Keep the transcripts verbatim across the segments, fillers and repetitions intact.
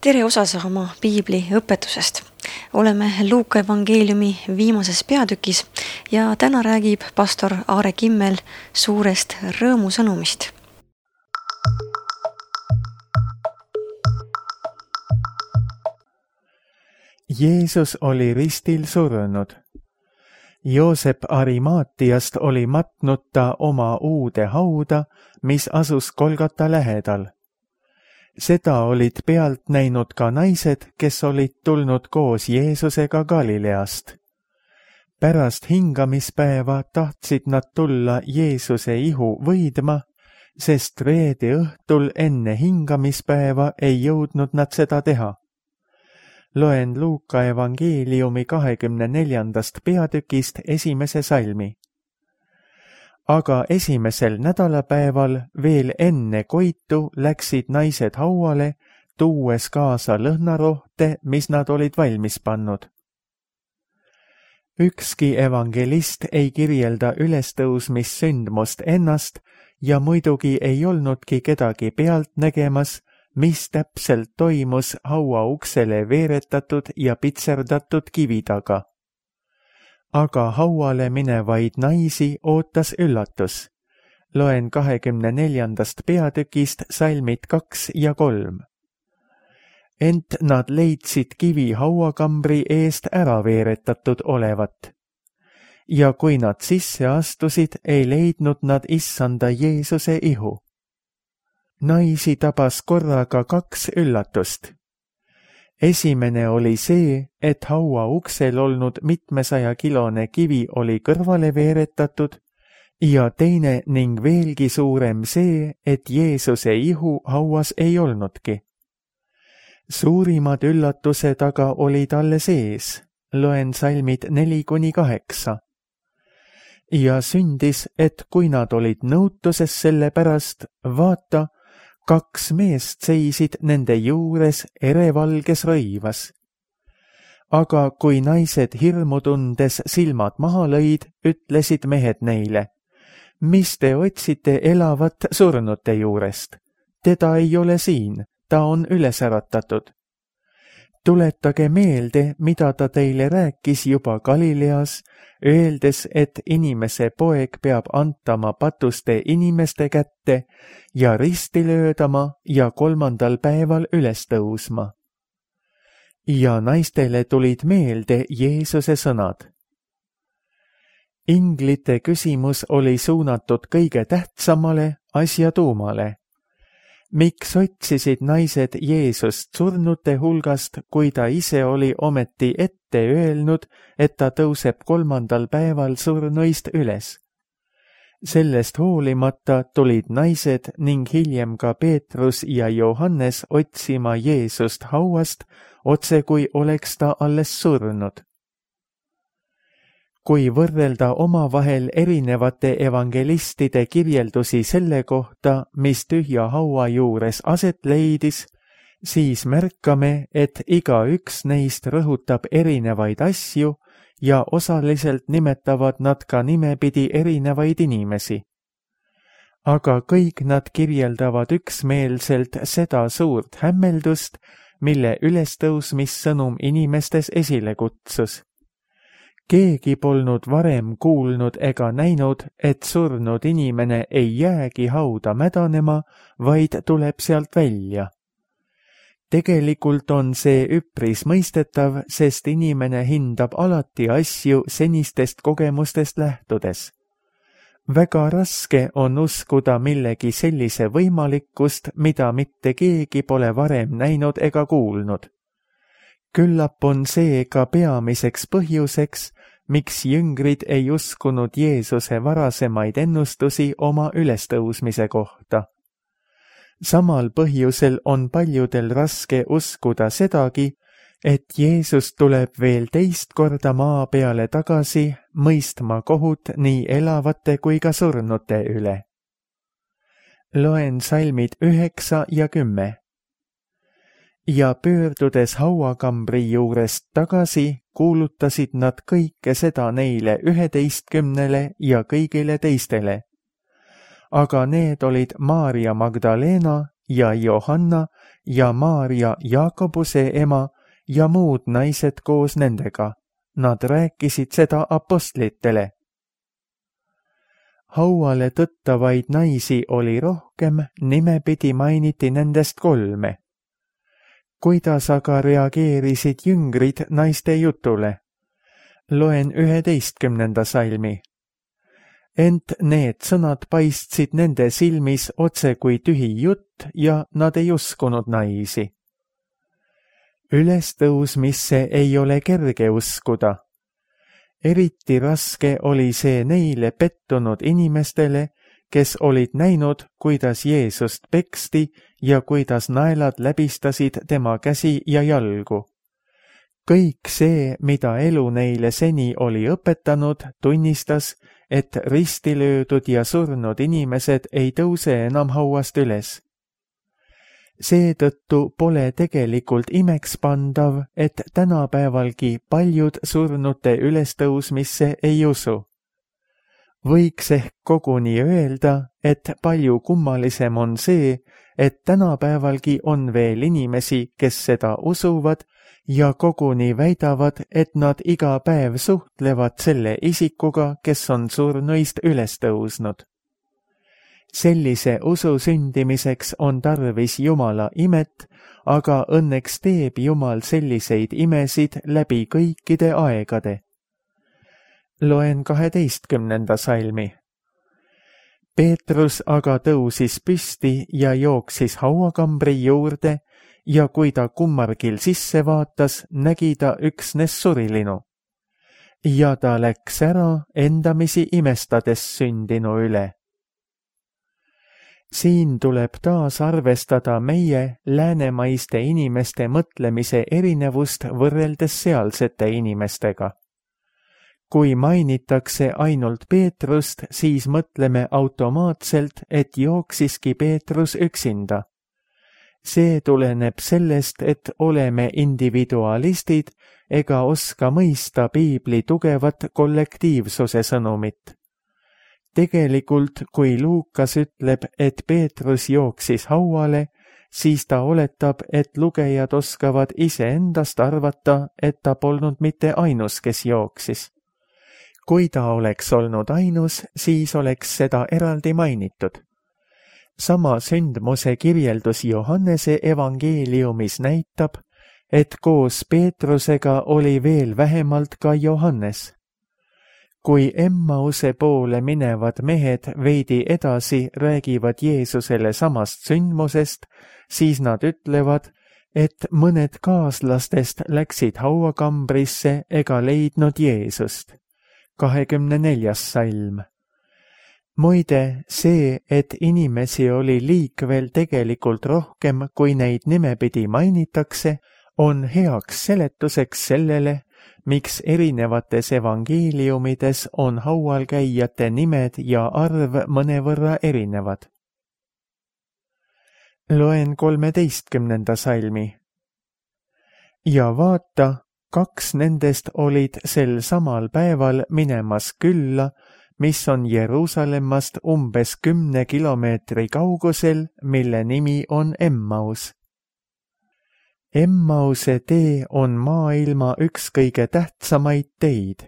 Tere osas oma piibli õpetusest. Oleme Luuka evangeeliumi viimases peatükis ja täna räägib pastor Aare Kimmel suurest rõõmusõnumist. Jeesus oli ristil surnud. Joosep Arimaatiast oli matnud ta oma uude hauda, mis asus Golgata lähedal. Seda olid pealt näinud ka naised, kes olid tulnud koos Jeesusega Galileast. Pärast hingamispäeva tahtsid nad tulla Jeesuse ihu võidma, sest reede õhtul enne hingamispäeva ei jõudnud nad seda teha. Loen Luuka evangeeliumi kahekümne neljandast peatükist esimese salmi. Aga esimesel nädalapäeval veel enne koitu läksid naised hauale, tuues kaasa lõhnarohte, mis nad olid valmis pannud. Ükski evangelist ei kirjelda ülestõusmissündmust ennast ja muidugi ei olnudki kedagi pealt nägemas, mis täpselt toimus haua uksele veeretatud ja pitserdatud kivi taga. Aga hauale minevaid naisi ootas üllatus. Loen kahekümne neljandast peatükist salmid kaks ja kolm. Ent nad leidsid kivi hauakambri eest ära veeretatud olevat. Ja kui nad sisse astusid, ei leidnud nad issanda Jeesuse ihu. Naisi tabas korraga kaks üllatust. Esimene oli see, et haua uksel olnud mitmesaja kilone kivi oli kõrvale veeretatud ja teine ning veelgi suurem see, et Jeesuse ihu hauas ei olnudki. Suurimad üllatused aga olid alles ees, loen salmid neli kuni kaheksa. Ja sündis, et kui nad olid nõutuses selle pärast, vaata, kaks meest seisid nende juures erevalges rõivas. Aga kui naised hirmu tundes silmad maha lõid, ütlesid mehed neile, mis te otsite elavat surnute juurest? Teda ei ole siin, ta on üles äratatud. Tuletage meelde, mida ta teile rääkis juba Galileas, öeldes, et inimese poeg peab antama patuste inimeste kätte ja risti löödama ja kolmandal päeval üles tõusma. Ja naistele tulid meelde Jeesuse sõnad. Inglite küsimus oli suunatud kõige tähtsamale asja tuumale. Miks otsisid naised Jeesust surnute hulgast, kui ta ise oli ometi ette öelnud, et ta tõuseb kolmandal päeval surnuist üles? Sellest hoolimata tulid naised ning hiljem ka Peetrus ja Johannes otsima Jeesust hauast, otse kui oleks ta alles surnud. Kui võrrelda omavahel erinevate evangelistide kirjeldusi selle kohta, mis tühja haua juures aset leidis, siis märkame, et igaüks neist rõhutab erinevaid asju ja osaliselt nimetavad nad ka nimepidi erinevaid inimesi. Aga kõik nad kirjeldavad üksmeelselt seda suurt hämmeldust, mille ülestõusmissõnum inimestes esile kutsus. Keegi polnud varem kuulnud ega näinud, et surnud inimene ei jäägi hauda mädanema, vaid tuleb sealt välja. Tegelikult on see üpris mõistetav, sest inimene hindab alati asju senistest kogemustest lähtudes. Väga raske on uskuda millegi sellise võimalikkust, mida mitte keegi pole varem näinud ega kuulnud. Küllap on see ka peamiseks põhjuseks, miks jüngrid ei uskunud Jeesuse varasemaid ennustusi oma ülestõusmise kohta. Samal põhjusel on paljudel raske uskuda sedagi, et Jeesus tuleb veel teist korda maa peale tagasi, mõistma kohut nii elavate kui ka surnute üle. Loen salmid üheksa ja kümme. Ja pöördudes hauakambri juurest tagasi, kuulutasid nad kõike seda neile üheteistkümnele ja kõigile teistele. Aga need olid Maarja Magdalena ja Johanna, ja Maarja Jaakobuse ema ja muud naised koos nendega. Nad rääkisid seda apostlitele. Hauale tõttavaid naisi oli rohkem, nimepidi mainiti nendest kolme. Kuidas aga reageerisid jüngrid naiste jutule? Loen üheteistkümnenda salmi. Ent need sõnad paistsid nende silmis otse kui tühi jutt ja nad ei uskunud naisi. Ülestõusmisse ei ole kerge uskuda. Eriti raske oli see neile pettunud inimestele, kes olid näinud, kuidas Jeesust peksti ja kuidas naelad läbistasid tema käsi ja jalgu. Kõik see, mida elu neile seni oli õpetanud, tunnistas, et risti löödud ja surnud inimesed ei tõuse enam hauast üles. Seetõttu pole tegelikult imekspandav, et tänapäevalgi paljud surnute ülestõusmisse ei usu. Võiks ehk koguni öelda, et palju kummalisem on see, et tänapäevalgi on veel inimesi, kes seda usuvad ja koguni väidavad, et nad iga päev suhtlevad selle isikuga, kes on surnuist üles tõusnud. Sellise usu sündimiseks on tarvis Jumala imet, aga õnneks teeb Jumal selliseid imesid läbi kõikide aegade. Loen kaheteistkümnenda salmi. Peetrus aga tõusis püsti ja jooksis hauakambri juurde ja kui ta kummargil sisse vaatas, nägi ta üksnes surilinu. Ja ta läks ära endamisi imestades sündinu üle. Siin tuleb taas arvestada meie läänemaiste inimeste mõtlemise erinevust võrreldes sealsete inimestega. Kui mainitakse ainult Peetrust, siis mõtleme automaatselt, et jooksiski Peetrus üksinda. See tuleneb sellest, et oleme individualistid ega oska mõista piibli tugevat kollektiivsuse sõnumit. Tegelikult, kui Luukas ütleb, et Peetrus jooksis hauale, siis ta oletab, et lugejad oskavad iseendast arvata, et ta polnud mitte ainus, kes jooksis. Kui ta oleks olnud ainus, siis oleks seda eraldi mainitud. Sama sündmuse kirjeldus Johannese evangeeliumis näitab, et koos Peetrusega oli veel vähemalt ka Johannes. Kui Emmause poole minevad mehed veidi edasi räägivad Jeesusele samast sündmusest, siis nad ütlevad, et mõned kaaslastest läksid hauakambrisse ega leidnud Jeesust. kahekümne neljas salm. Muide, see, et inimesi oli liikvel tegelikult rohkem, kui neid nimepidi mainitakse, on heaks seletuseks sellele, miks erinevates evangeeliumides on haual käijate nimed ja arv mõnevõrra erinevad. Loen kolmeteistkümnenda salmi. Ja vaata, kaks nendest olid sel samal päeval minemas külla, mis on Jeruusalemmast umbes kümne kilomeetri kaugusel, mille nimi on Emmaus. Emmause tee on maailma üks kõige tähtsamaid teid.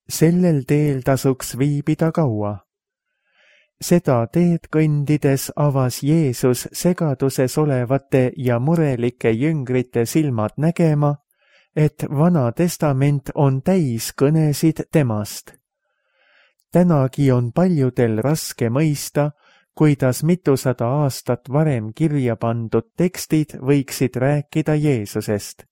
Sellel teel tasuks viibida kaua. Seda teed kõndides avas Jeesus segaduses olevate ja murelike jüngrite silmad nägema, et Vana Testament on täis kõnesid temast. Tänagi on paljudel raske mõista, kuidas mitusada aastat varem kirja pandud tekstid võiksid rääkida Jeesusest.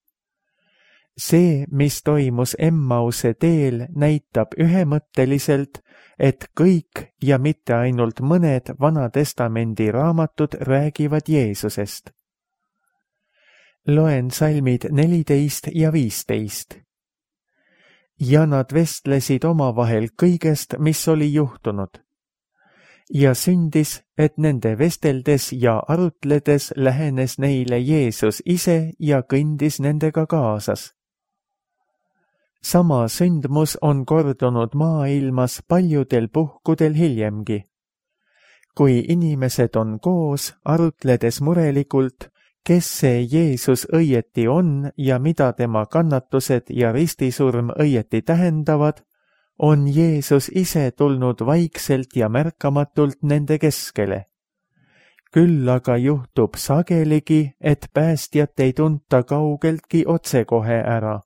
See, mis toimus Emmause teel, näitab ühemõtteliselt, et kõik ja mitte ainult mõned Vana Testamendi raamatud räägivad Jeesusest. Loen salmid neliteist ja viisteist. Ja nad vestlesid omavahel kõigest, mis oli juhtunud. Ja sündis, et nende vesteldes ja arutledes lähenes neile Jeesus ise ja kõndis nendega kaasas. Sama sündmus on kordunud maailmas paljudel puhkudel hiljemgi. Kui inimesed on koos, arutledes murelikult, kes see Jeesus õieti on ja mida tema kannatused ja ristisurm õieti tähendavad, on Jeesus ise tulnud vaikselt ja märkamatult nende keskele. Küll aga juhtub sageligi, et päästjat ei tunta kaugeltki otsekohe ära.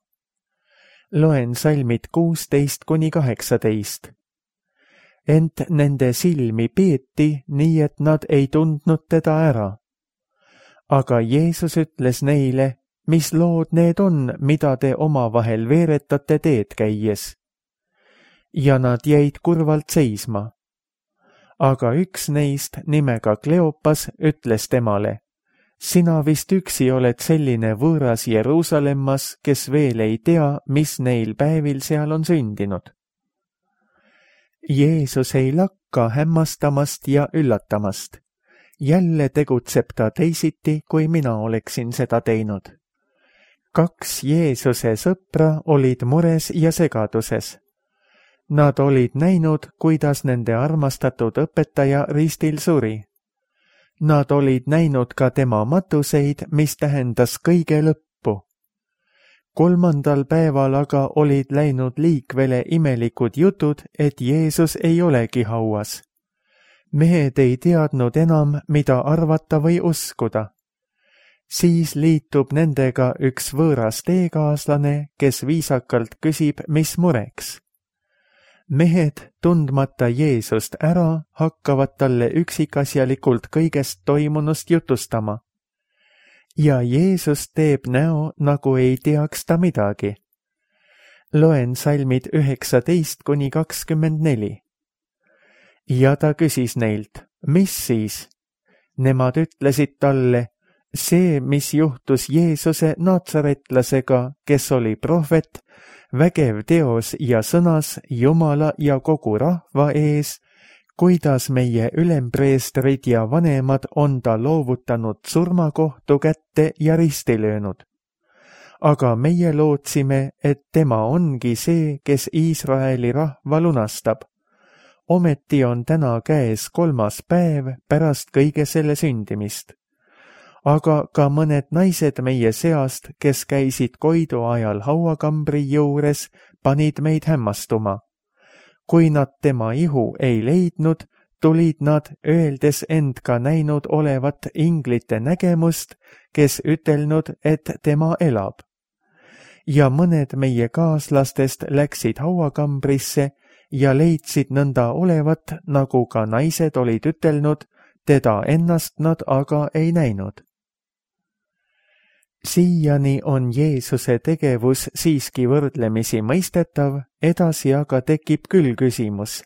Loen salmid kuusteist kuni kaheksateist. Ent nende silmi peeti, nii et nad ei tundnud teda ära. Aga Jeesus ütles neile, mis lood need on, mida te omavahel veeretate teed käies. Ja nad jäid kurvalt seisma. Aga üks neist nimega Kleopas ütles temale, sina vist üksi oled selline võõras Jeruusalemmas, kes veel ei tea, mis neil päevil seal on sündinud. Jeesus ei lakka hämmastamast ja üllatamast. Jälle tegutseb ta teisiti, kui mina oleksin seda teinud. Kaks Jeesuse sõpra olid mures ja segaduses. Nad olid näinud, kuidas nende armastatud õpetaja ristil suri. Nad olid näinud ka tema matuseid, mis tähendas kõige lõppu. Kolmandal päeval aga olid läinud liikvele imelikud jutud, et Jeesus ei olegi hauas. Mehed ei teadnud enam, mida arvata või uskuda. Siis liitub nendega üks võõras teekaaslane, kes viisakalt küsib, mis mureks. Mehed, tundmata Jeesust ära, hakkavad talle üksikasjalikult kõigest toimunust jutustama. Ja Jeesus teeb näo, nagu ei teaks ta midagi. Loen salmid üheksateist kuni kakskümmend neli. Ja ta küsis neilt, mis siis? Nemad ütlesid talle, see, mis juhtus Jeesuse naatsaretlasega, kes oli prohvet, vägev teos ja sõnas Jumala ja kogu rahva ees, kuidas meie ülempreestrid ja vanemad on ta loovutanud surmakohtu kätte ja risti löönud. Aga meie lootsime, et tema ongi see, kes Iisraeli rahva lunastab. Ometi on täna käes kolmas päev pärast kõige selle sündimist. Aga ka mõned naised meie seast, kes käisid Koidu ajal hauakambri juures, panid meid hämmastuma. Kui nad tema ihu ei leidnud, tulid nad, öeldes end ka näinud olevat inglite nägemust, kes ütelnud, et tema elab. Ja mõned meie kaaslastest läksid hauakambrisse ja leidsid nõnda olevat, nagu ka naised olid ütelnud, teda ennast nad aga ei näinud. Siiani on Jeesuse tegevus siiski võrdlemisi mõistetav, edasi aga tekib küll küsimus.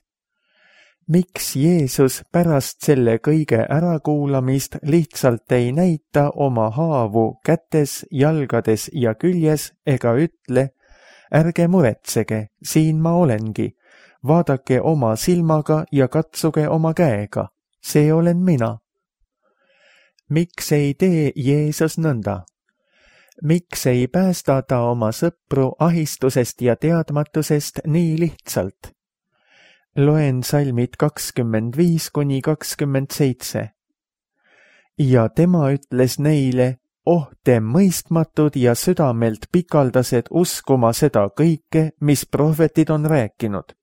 Miks Jeesus pärast selle kõige ärakuulamist lihtsalt ei näita oma haavu kätes, jalgades ja küljes ega ütle, ärge muretsege, siin ma olengi, vaadake oma silmaga ja katsuge oma käega, see olen mina. Miks ei tee Jeesus nõnda? Miks ei päästa ta oma sõpru ahistusest ja teadmatusest nii lihtsalt? Loen salmid kakskümmend viis kuni kakskümmend seitse. Ja tema ütles neile, oh te mõistmatud ja südamelt pikaldased uskuma seda kõike, mis prohvetid on rääkinud.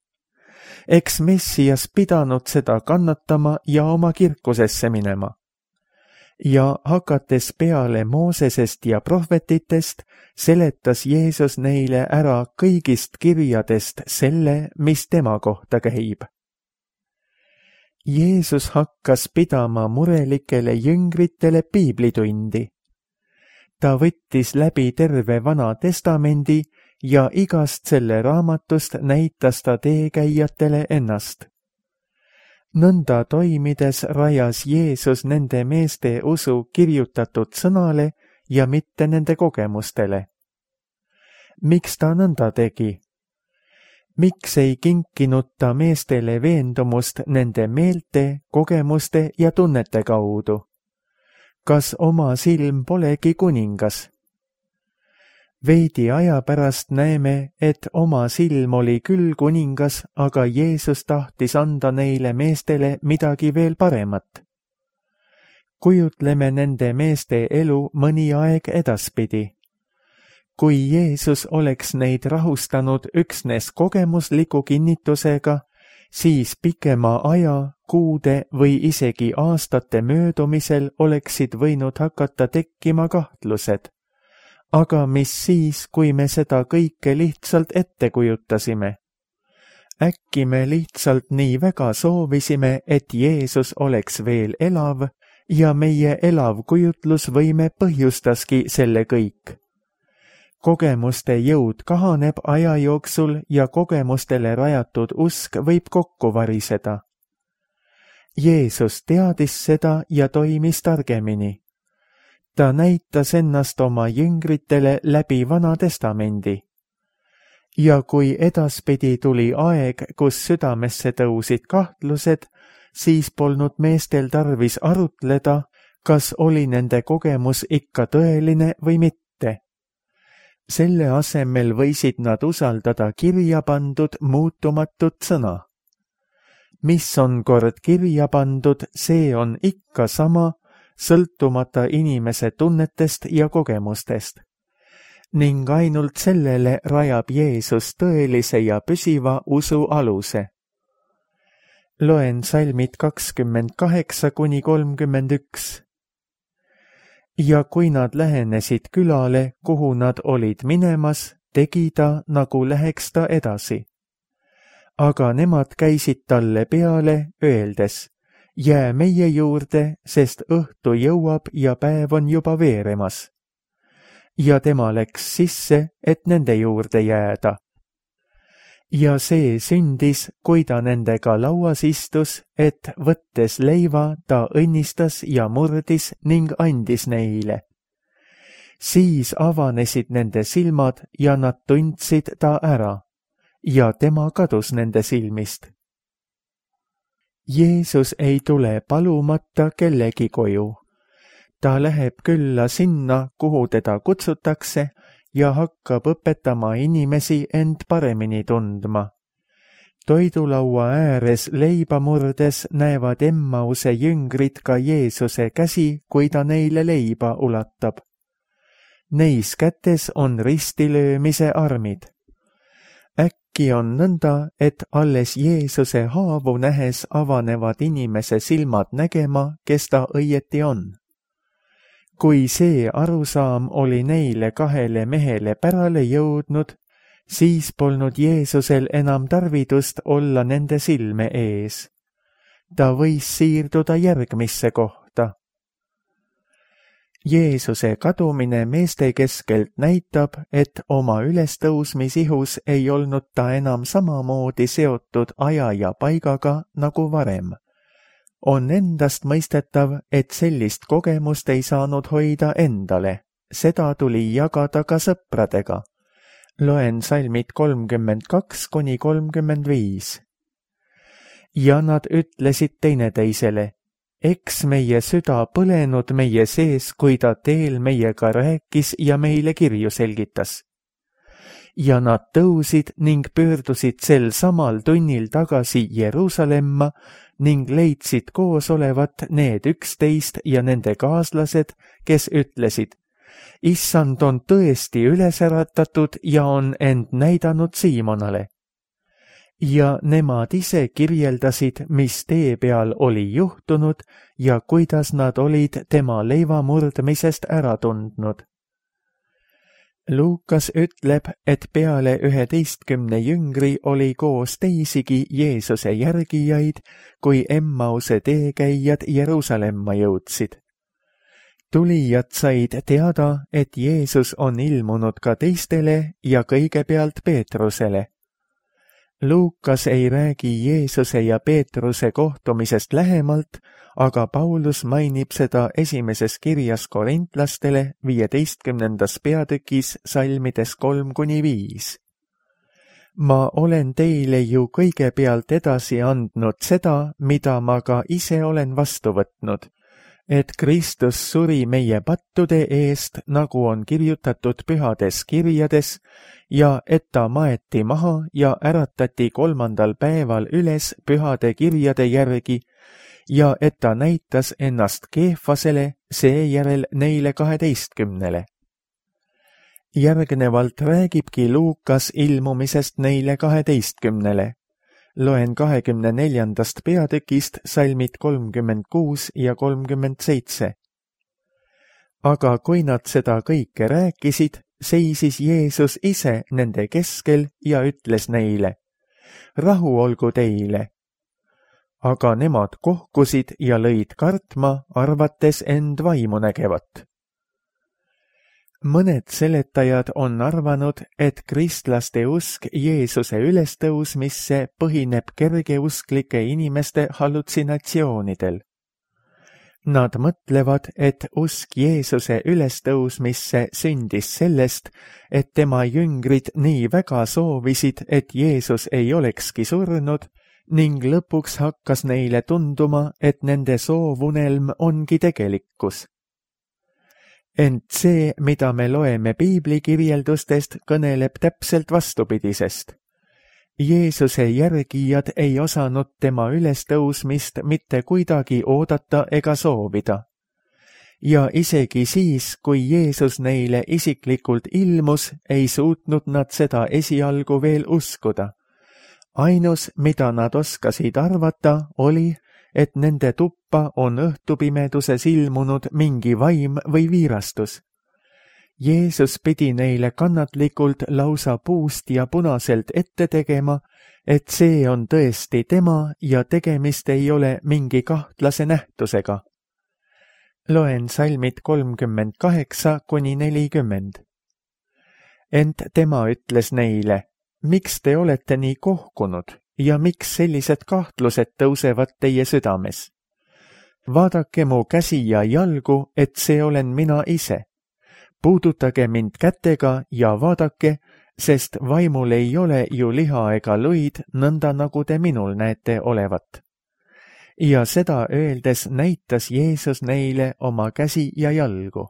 Eks Messias pidanud seda kannatama ja oma kirkusesse minema. Ja hakates peale Moosesest ja prohvetitest, seletas Jeesus neile ära kõigist kirjadest selle, mis tema kohta käib. Jeesus hakkas pidama murelikele jüngritele piiblitundi. Ta võttis läbi terve Vana Testamendi ja igast selle raamatust näitas ta teekäijatele ennast. Nõnda toimides rajas Jeesus nende meeste usu kirjutatud sõnale ja mitte nende kogemustele. Miks ta nõnda tegi? Miks ei kinkinud ta meestele veendumust nende meelte, kogemuste ja tunnete kaudu? Kas oma silm polegi kuningas? Veidi aja pärast näeme, et oma silm oli küll kuningas, aga Jeesus tahtis anda neile meestele midagi veel paremat. kujutleme nende meeste elu mõni aeg edaspidi. Kui Jeesus oleks neid rahustanud üksnes kogemusliku kinnitusega, siis pikema aja, kuude või isegi aastate möödumisel oleksid võinud hakata tekkima kahtlused. Aga mis siis, kui me seda kõike lihtsalt ette kujutasime? Äkki me lihtsalt nii väga soovisime, et Jeesus oleks veel elav ja meie elav kujutlusvõime põhjustaski selle kõik. Kogemuste jõud kahaneb aja jooksul ja kogemustele rajatud usk võib kokku variseda. Jeesus teadis seda ja toimis targemini. Ta näitas ennast oma jüngritele läbi Vana Testamendi. Ja kui edaspidi tuli aeg, kus südamesse tõusid kahtlused, siis polnud meestel tarvis arutleda, kas oli nende kogemus ikka tõeline või mitte. Selle asemel võisid nad usaldada kirja pandud muutumatut sõna. Mis on kord kirja pandud, see on ikka sama, sõltumata inimese tunnetest ja kogemustest. Ning ainult sellele rajab Jeesus tõelise ja püsiva usu aluse. Loen salmid kakskümmend kaheksa kuni kolmkümmend üks. Ja kui nad lähenesid külale, kuhu nad olid minemas, tegi ta, nagu läheks ta edasi. Aga nemad käisid talle peale, öeldes, jää meie juurde, sest õhtu jõuab ja päev on juba veeremas. Ja tema läks sisse, et nende juurde jääda. Ja see sündis, kui ta nendega lauas istus, et võttes leiva, ta õnnistas ja murdis ning andis neile. Siis avanesid nende silmad ja nad tundsid ta ära, ja tema kadus nende silmist. Jeesus ei tule palumata kellegi koju. Ta läheb külla sinna, kuhu teda kutsutakse, ja hakkab õpetama inimesi end paremini tundma. Toidulaua ääres leiba murdes näevad Emmause jüngrid ka Jeesuse käsi, kui ta neile leiba ulatab. Neis kätes on ristilöömise armid. Äkki on nõnda, et alles Jeesuse haavu nähes avanevad inimese silmad nägema, kes ta õieti on. Kui see arusaam oli neile kahele mehele pärale jõudnud, siis polnud Jeesusel enam tarvidust olla nende silme ees. Ta võis siirduda järgmisse kohta. Jeesuse kadumine meeste keskelt näitab, et oma ülestõusmisihus ei olnud ta enam samamoodi seotud aja ja paigaga nagu varem. On endast mõistetav, et sellist kogemust ei saanud hoida endale. Seda tuli jagada ka sõpradega. Loen salmid kolmkümmend kaks kuni kolmkümmend viis. Ja nad ütlesid teineteisele, eks meie süda põlenud meie sees, kui ta teel meiega rääkis ja meile kirju selgitas. Ja nad tõusid ning pöördusid sel samal tunnil tagasi Jeruusalemma ning leidsid koos olevat need üksteist ja nende kaaslased, kes ütlesid, Issand on tõesti üles äratatud ja on end näidanud Siimonale. Ja nemad ise kirjeldasid, mis tee peal oli juhtunud ja kuidas nad olid tema leiva murdmisest ära tundnud. Luukas ütleb, et peale üheteistkümne jüngri oli koos teisigi Jeesuse järgijaid, kui Emmause teekäijad Jeruusalemma jõudsid. Tulijad said teada, et Jeesus on ilmunud ka teistele ja kõigepealt Peetrusele. Luukas ei räägi Jeesuse ja Peetruse kohtumisest lähemalt, aga Paulus mainib seda esimeses kirjas korintlastele viieteistkümnendas peatükis salmides kolm kuni viis. Ma olen teile ju kõigepealt edasi andnud seda, mida ma ka ise olen vastu võtnud, et Kristus suri meie pattude eest, nagu on kirjutatud pühades kirjades, ja et ta maeti maha ja äratati kolmandal päeval üles pühade kirjade järgi, ja et ta näitas ennast Keefasele, seejärel neile kaheteistkümnele. Järgnevalt räägibki Luukas ilmumisest neile kaheteistkümnele. Loen kahekümne neljandast peatükist salmid kolmkümmend kuus ja kolmkümmend seitse. Aga kui nad seda kõike rääkisid, seisis Jeesus ise nende keskel ja ütles neile, rahu olgu teile. Aga nemad kohkusid ja lõid kartma, arvates end vaimu nägevat. Mõned seletajad on arvanud, et kristlaste usk Jeesuse ülestõusmisse põhineb kergeusklike inimeste hallutsinatsioonidel. Nad mõtlevad, et usk Jeesuse ülestõusmisse sündis sellest, et tema jüngrid nii väga soovisid, et Jeesus ei olekski surnud, ning lõpuks hakkas neile tunduma, et nende soovunelm ongi tegelikkus. Ent see, mida me loeme piibli kirjeldustest, kõneleb täpselt vastupidisest. Jeesuse järgijad ei osanud tema ülestõusmist mitte kuidagi oodata ega soovida. Ja isegi siis, kui Jeesus neile isiklikult ilmus, ei suutnud nad seda esialgu veel uskuda. Ainus, mida nad oskasid arvata, oli, et nende tuppa on õhtupimeduses ilmunud mingi vaim või viirastus. Jeesus pidi neile kannatlikult lausa puust ja punaselt ette tegema, et see on tõesti tema ja tegemist ei ole mingi kahtlase nähtusega. Loen salmid kolmkümmend kaheksa kuni nelikümmend. Ent tema ütles neile, miks te olete nii kohkunud ja miks sellised kahtlused tõusevad teie südames? Vaadake mu käsi ja jalgu, et see olen mina ise. Puudutage mind kätega ja vaadake, sest vaimul ei ole ju liha ega luid, nõnda nagu te minul näete olevat. Ja seda öeldes näitas Jeesus neile oma käsi ja jalgu.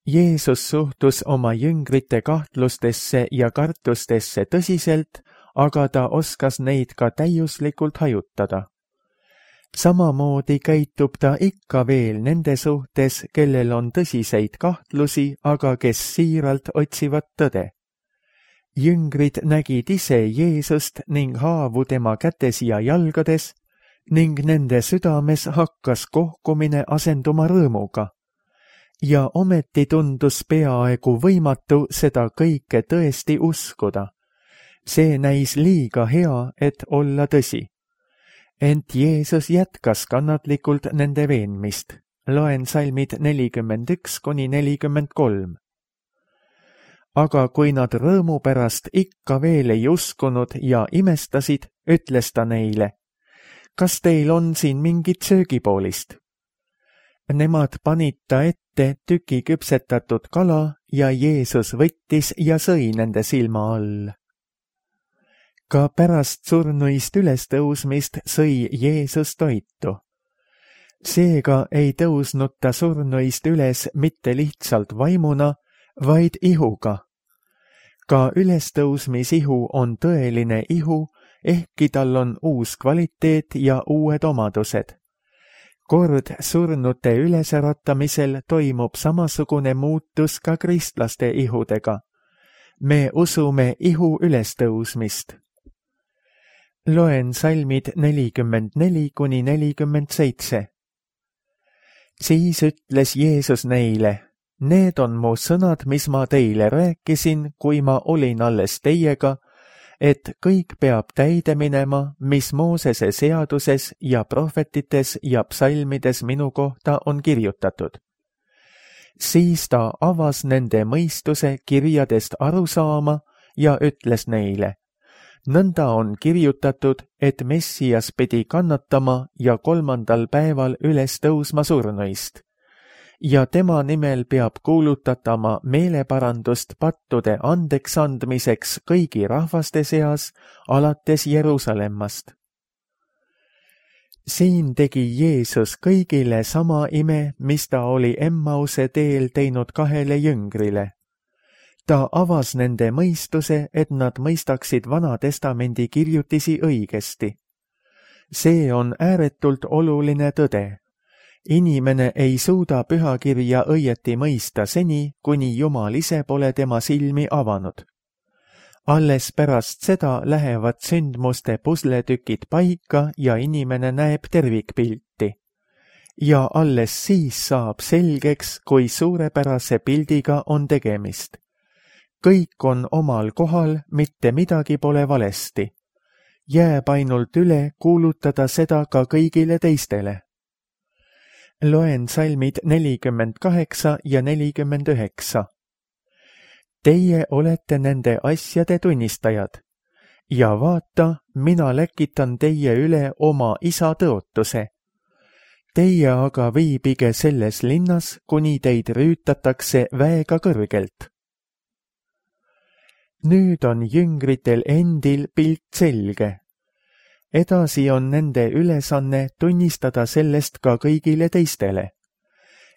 Jeesus suhtus oma jüngrite kahtlustesse ja kartustesse tõsiselt, aga ta oskas neid ka täiuslikult hajutada. Samamoodi käitub ta ikka veel nende suhtes, kellel on tõsiseid kahtlusi, aga kes siiralt otsivad tõde. Jüngrid nägid ise Jeesust ning haavu tema kätes ja jalgades ning nende südames hakkas kohkumine asenduma rõõmuga. Ja ometi tundus peaaegu võimatu seda kõike tõesti uskuda. See näis liiga hea, et olla tõsi. Ent Jeesus jätkas kannatlikult nende veenmist. Loen salmid nelikümmend üks kuni nelikümmend kolm. Aga kui nad rõõmu pärast ikka veel ei uskunud ja imestasid, ütles ta neile, kas teil on siin mingit söögipoolist? Nemad panid ta ette tüki küpsetatud kala ja Jeesus võttis ja sõi nende silma all. Ka pärast surnuist ülestõusmist sõi Jeesus toitu. Seega ei tõusnud ta surnuist üles mitte lihtsalt vaimuna, vaid ihuga. Ka ülestõusmisihu on tõeline ihu, ehkki tal on uus kvaliteet ja uued omadused. Kord surnute ülesäratamisel toimub samasugune muutus ka kristlaste ihudega. Me usume ihu ülestõusmist. Loen salmid nelikümmend neli kuni nelikümmend seitse. Siis ütles Jeesus neile, need on mu sõnad, mis ma teile rääkisin, kui ma olin alles teiega, et kõik peab täide minema, mis Moosese seaduses ja prohvetites ja psalmides minu kohta on kirjutatud. Siis ta avas nende mõistuse kirjadest aru saama ja ütles neile, nõnda on kirjutatud, et Messias pidi kannatama ja kolmandal päeval üles tõusma surnuist. Ja tema nimel peab kuulutatama meeleparandust pattude andeks andmiseks kõigi rahvaste seas, alates Jerusalemmast. Siin tegi Jeesus kõigile sama ime, mis ta oli Emmause teel teinud kahele jüngrile. Ta avas nende mõistuse, et nad mõistaksid Vana Testamendi kirjutisi õigesti. see on ääretult oluline tõde. Inimene ei suuda pühakirja õieti mõista seni, kuni Jumal ise pole tema silmi avanud. Alles pärast seda lähevad sündmuste pusletükid paika ja inimene näeb tervikpilti. Ja alles siis saab selgeks, kui suurepärase pildiga on tegemist. Kõik on omal kohal, mitte midagi pole valesti. Jääb ainult üle kuulutada seda ka kõigile teistele. Loen salmid nelikümmend kaheksa ja nelikümmend üheksa. Teie olete nende asjade tunnistajad. Ja vaata, mina läkitan teie üle oma isa tõotuse. Teie aga viibige selles linnas, kuni teid rüütatakse väega kõrgelt. Nüüd on jüngritel endil pilt selge. Edasi on nende ülesanne tunnistada sellest ka kõigile teistele.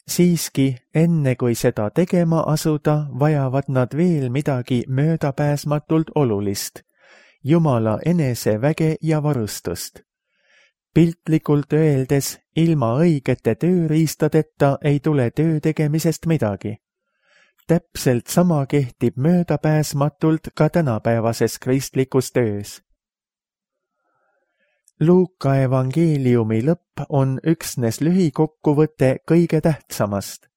Siiski, enne kui seda tegema asuda, vajavad nad veel midagi möödapääsmatult olulist, Jumala eneseväge ja varustust. Piltlikult öeldes, ilma õigete tööriistadeta ei tule töö tegemisest midagi. Täpselt sama kehtib möödapääsmatult ka tänapäevases kristlikus töös. Luuka evangeeliumi lõpp on üksnes lühikokkuvõte kõige tähtsamast.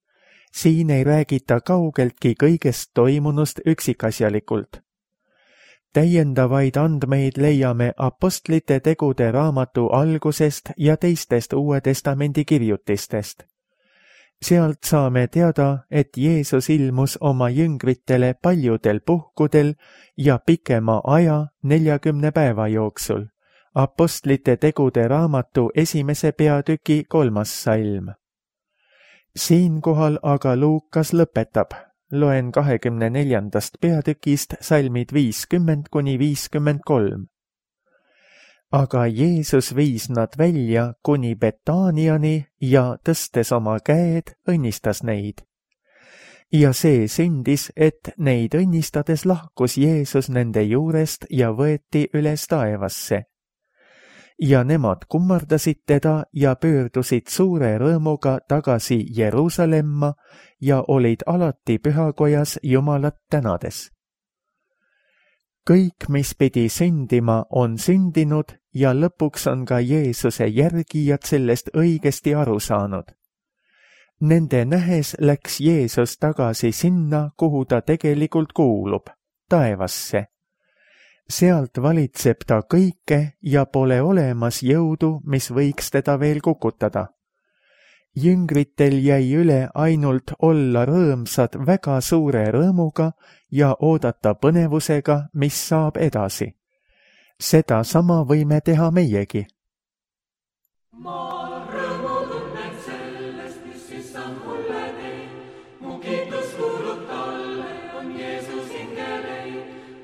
Siin ei räägita kaugeltki kõigest toimunust üksikasjalikult. Täiendavaid andmeid leiame apostlite tegude raamatu algusest ja teistest Uue Testamendi kirjutistest. Sealt saame teada, et Jeesus ilmus oma jüngritele paljudel puhkudel ja pikema aja neljakümne päeva jooksul. Apostlite tegude raamatu esimese peatüki kolmas salm. Siinkohal aga Luukas lõpetab. Loen kahekümne neljandast peatükist salmid viiskümmend kuni viiskümmend kolm. Aga Jeesus viis nad välja kuni Betaaniani ja tõstes oma käed, õnnistas neid. Ja see sündis, et neid õnnistades lahkus Jeesus nende juurest ja võeti üles taevasse. Ja nemad kummardasid teda ja pöördusid suure rõõmuga tagasi Jeruusalemma ja olid alati pühakojas Jumalat tänades. Kõik, mis pidi sündima, on sündinud ja lõpuks on ka Jeesuse järgijad sellest õigesti aru saanud. Nende nähes läks Jeesus tagasi sinna, kuhu ta tegelikult kuulub, taevasse. Sealt valitseb ta kõike ja pole olemas jõudu, mis võiks teda veel kukutada. Jüngritel jäi üle ainult olla rõõmsad väga suure rõõmuga ja oodata põnevusega, mis saab edasi. Seda sama võime teha meiegi. Ma rõõmu tunnen sellest, mis issand mulle teeb. Mu kiitus kuulub talle, on Jeesus hingele.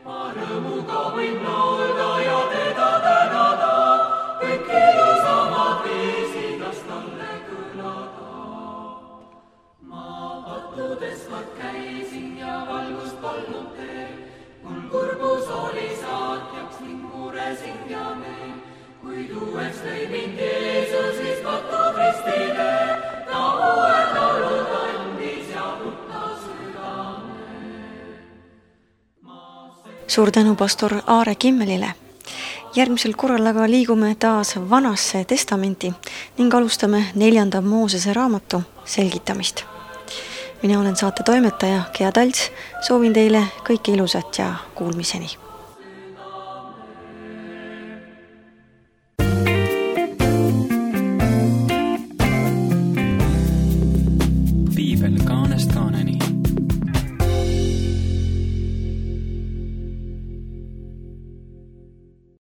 Ma rõõmuga võin laulda ja teda tänada, kõik ilusamad viisid las talle kõlada. Ma pattudes kord käisin ja valgust polnud teel, mul kurbus oli saatjaks ning muresin ja meel, kuid uueks lõi mind Jeesus, mis patud ristile, ta uued laulud andis ja mutta südame. Suur tänu pastor Aare Kimmelile. Järgmisel korral aga liigume taas Vanasse testamenti ning alustame neljanda Moosese raamatu selgitamist. Mina olen saate toimetaja Gea Talts, soovin teile kõike ilusat ja kuulmiseni. Piibel kaanest kaaneni.